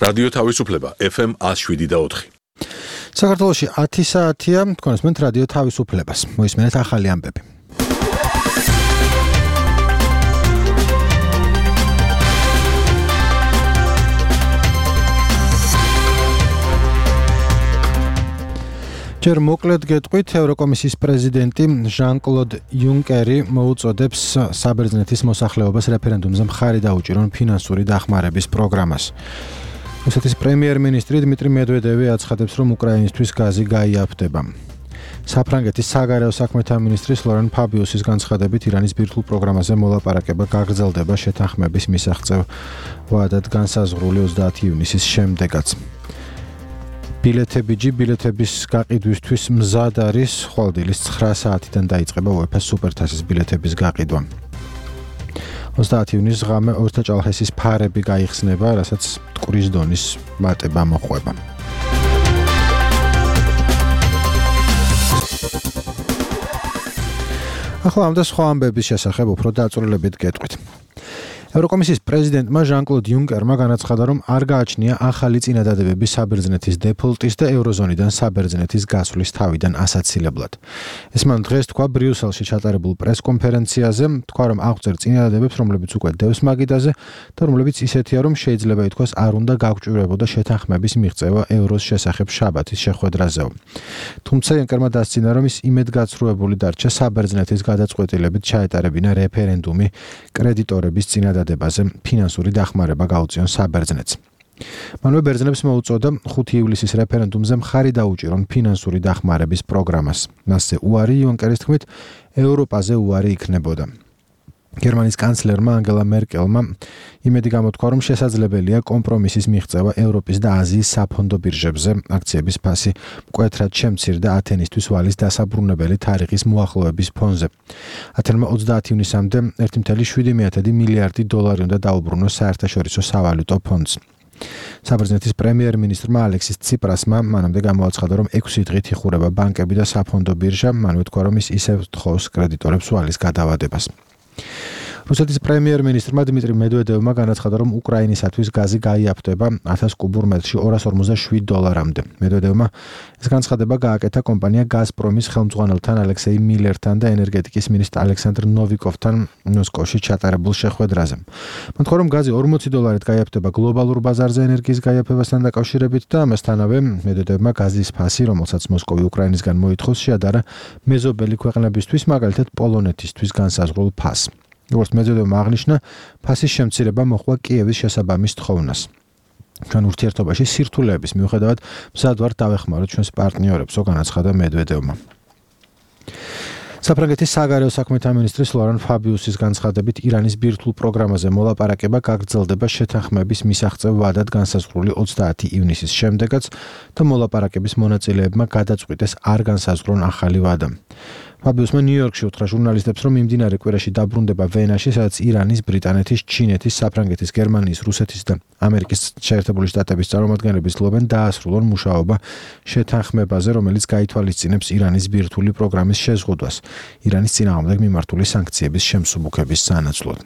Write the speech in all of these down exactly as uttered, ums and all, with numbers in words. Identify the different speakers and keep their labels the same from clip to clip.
Speaker 1: რადიო თავისუფლება ეფ ემ one oh seven და four.
Speaker 2: საქართველოში ათი საათია, თქვენსმენთ რადიო თავისუფლებას. მოისმენთ ახალი ამბები. ჯერ მოკლედ გეტყვით, ევროკომისიის პრეზიდენტი ჟან-კლოდ იუნკერი მოუწოდებს საბერძნეთის მოსახლეობას რეფერენდუმზე მხარი დაუჭირონ ფინანსური დახმარების პროგრამას. რუსეთის პრემიერ-მინისტრი დმიტრი მედვედევი აცხადებს, რომ უკრაინისთვის გაზი გაიაფდება. საფრანგეთის საგარეო საქმეთა მინისტრის ლორენ ფაბიუსის განცხადებით, ირანის ბირთვულ პროგრამაზე მოლაპარაკება გაგრძელდება შეთანხმების მისაღწევ ვადად განსაზღვრული ოცდაათი ივნისის შემდეგაც. ბილეთები ჯი ბილეთების გაყიდვისთვის მზად არის, ხვალდილის ცხრა საათიდან დაიწყება უეფა-ს სუპერთასის ბილეთების გაყიდვა. ოცდაათი ივნისს ღამე ორთაჭალხესის ფარები გაიხსნება, რასაც მტკვრის დონის მატება მოჰყვება. ახლა ამ და სხვა ამბების შესახებ უფრო დაწვრილებით გეტყვით. ევროკომისიის პრეზიდენტმა ჟან-კლოდ იუნკერმა განაცხადა, რომ არ გააჩნია ახალი წინადადებები საბერძნეთის დეფოლტის და ევროზონიდან საბერძნეთის გასვლის თავიდან ასაცილებლად. ეს მან დღეს თქვა ბრიუსელში ჩატარებულ პრესკონფერენციაზე, თქვა, რომ აღწერ წინადადებებს, რომლებიც უკვე დევს მაგიდაზე და რომლებიც ისეთია, რომ შეიძლება ითქვას არ უნდა გაგჭირვებოდა შეთანხმების მიღწევა ევროს შესახებ შაბათის შეხვედრაზეო. თუმცა იუნკერმა დასცინა, რომ ის იმედგაცრუებული დარჩა საბერძნეთის გადაწყვეტილებით ჩაეტარებინა რეფერენდუმი კრედიტორების წინადადებებზე ფინანსური დახმარება გაუწიონ საბერძნეთს. მანვე ბერძნებს მოუწოდა ხუთი ივლისის რეფერენდუმზე მხარი დაუჭირონ ფინანსური დახმარების პროგრამას. მასზე უარი იუნკერის თქმით ევროპაზე უარი იქნებოდა. გერმანიის კანცლერმა ანგელა მერკელმა იმედი გამოთქვა, რომ შესაძლებელია კომპრომისის მიღწევა ევროპის და აზიის საფონდო ბირჟებზე, აქციების ფასი მკვეთრად შემცირდა ათენისთვის ვალის დასაბრუნებელი თარიღის მოახლოების ფონზე. ათენმა ოცდაათი ივნისამდე ერთი კoma შვიდი მილიარდი დოლარი უნდა დაუბრუნოს საერთაშორისო სავალუტო ფონდს. საბერძნეთის პრემიერ-მინისტრმა ალექსის ციპრასმა მანამდე გამოაცხადა, რომ ექვსი დღით იხურება ბანკები და საფონდო ბირჟა, მანვე თქვა, რომ ის ისევ თხოვს კრედიტორებს ვალის გადავადებას. რუსეთის პრემიერ-მინისტრმა დმიტრი მედვედევმა განაცხადა, რომ უკრაინისათვის გაზი გაიაფდება ათას კუბურ მეტრში ორას ორმოცდაშვიდ დოლარამდე. მედვედევმა ეს განცხადება გააკეთა კომპანია გაზპრომის ხელმძღვანელთან ალექსეი მილერთან და ენერგეტიკის მინისტრ ალექსანდრ ნოვიკოვთან მოსკოვში ჩატარებულ შეხვედრაზე. მან თქვა, რომ გაზი ორმოცი დოლარით გაიაფდება გლობალურ ბაზარზე ენერგიის გაიაფებასთან დაკავშირებით და ამასთანავე მედვედევმა გაზის ფასი, რომელსაც მოსკოვი უკრაინისგან მოითხოვს, შეადარა მეზობელი ქვეყნებისთვის, მაგალითად პოლონეთისთვის განსაზღვრულ ფასს. როგორც მედვედევმა აღნიშნა, ფასის შემცირება მოჰყვა კიევის შესაბამის თხოვნას. ჩვენ ურთიერთობაში სირთულეების მიუხედავად მზად ვართ დავეხმაროთ ჩვენს პარტნიორებსო, განაცხადა მედვედევმა. საფრანგეთის საგარეო საქმეთა მინისტრის ლორან ფაბიუსის განცხადებით, ირანის ბირთვულ პროგრამაზე მოლაპარაკება გაგრძელდება შეთანხმების მისაღწევ ვადად განსაზღვრული ოცდაათი ივნისის შემდეგაც და მოლაპარაკების მონაწილეებმა გადაწყვიტეს არ განსაზღვრონ ახალი ვადა. ფაბიუსმა ნიუ-იორკში უთხრა ჟურნალისტებს, რომ მიმდინარე კვირაში დაბრუნდება ვენაში, სადაც ირანის, ბრიტანეთის, ჩინეთის, საფრანგეთის, გერმანიის, რუსეთის და ამერიკის შეერთებული შტატების წარმომადგენლები ცდილობენ დაასრულონ მუშაობა შეთანხმებაზე, რომელიც გაითვალისწინებს ირანის ბირთვული პროგრამის შეზღუდვას, ირანის წინააღმდეგ მიმართული სანქციების შემსუბუქების სანაცვლოდ.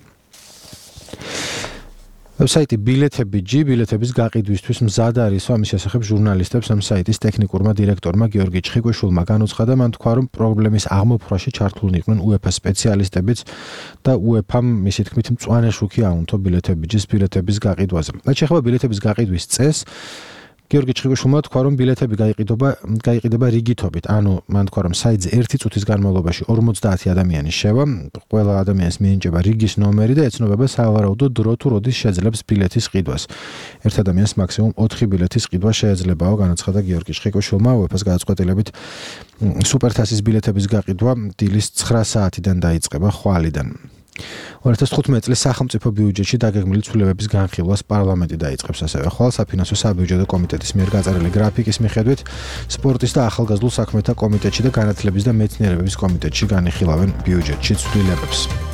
Speaker 2: ვებსაიტი ბილეთები ჯი ბილეთების გაყიდვისთვის მზად არის, ამის შესახებ ჟურნალისტებს ამ საიტის ტექნიკურმა დირექტორმა გიორგი ჩხიკვიშვილმა განუცხადა, მან თქვა, რომ პრობლემის აღმოფხვაში ჩართულნი იყვნენ უეფა-ს სპეციალისტებიც და უეფა-მ მისი თქმით მწვანე შუქი აუნთო ბილეთები ჯის ბილეთების გაყიდვაზე. რაც შეეხება ბილეთების გაყიდვის წესს, გიორგი ჩხიკვიშვილმა თქვა, რომ ბილეთები გაიყიდობა გაიყიდება რიგითობით, ანუ მან თქვა, რომ საიტზე ერთი წუთის განმავლობაში ორმოცდაათი ადამიანი შევა, ყველა ადამიანს მიენიჭება რიგის ნომერი და ეცნობება სავარაუდო დრო თუ როდის შეძლებს ბილეთის ყიდვას. ერთ ადამიანს მაქსიმუმ ოთხი ბილეთის ყიდვა შეეძლებაო, განაცხადა გიორგი ჩხიკვიშვილმა. უეფა-ს გადაწყვეტილებით სუპერთასის ბილეთების გაყიდვა დილის ცხრა საათიდან დაიწყება ხვალიდან. ორი ათას თხუთმეტი წლის სახელმწიფო ბიუჯეტში დაგეგმილი ცვლილებების განხილვას პარლამენტი დაიწყებს, ასევე ხვალ საფინანსო საბიუჯეტო კომიტეტის მიერ გაწერილი გრაფიკის მიხედვით სპორტის და ახალგაზრდულ საქმეთა კომიტეტში და განათლების და მეცნიერებების კომიტეტში განიხილავენ ბიუჯეტში ცვლილებებს.